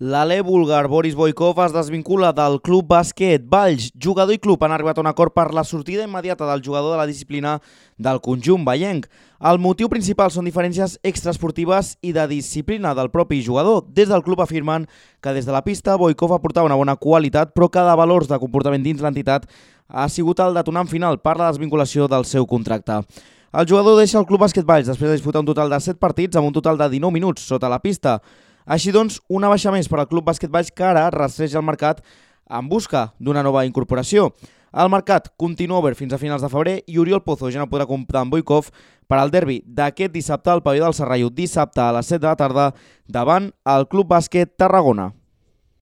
L'alè búlgar Boris Boykov es desvincula del Club Bàsquet Valls. Jugador i club han arribat a un acord per la sortida immediata del jugador de la disciplina del conjunt vallenc. El motiu principal són diferències extraesportives i de disciplina del propi jugador. Des del club afirmen que des de la pista Boykov aportava una bona qualitat, però que de valors de comportament dins l'entitat ha sigut el detonant final per la desvinculació del seu contracte. El jugador deixa el Club Bàsquet Valls després de disputar un total de 7 partits amb un total de 19 minuts sota la pista. Així doncs, una baixa més per al Club Bàsquet Valls que ara rastreja el mercat en busca d'una nova incorporació. El mercat continua obert fins a finals de febrer i Oriol Pozo ja no podrà comptar amb Boykov per al derbi d'aquest dissabte al pavelló del Serrallo, dissabte a les 7 de la tarda davant el Club Bàsquet Tarragona.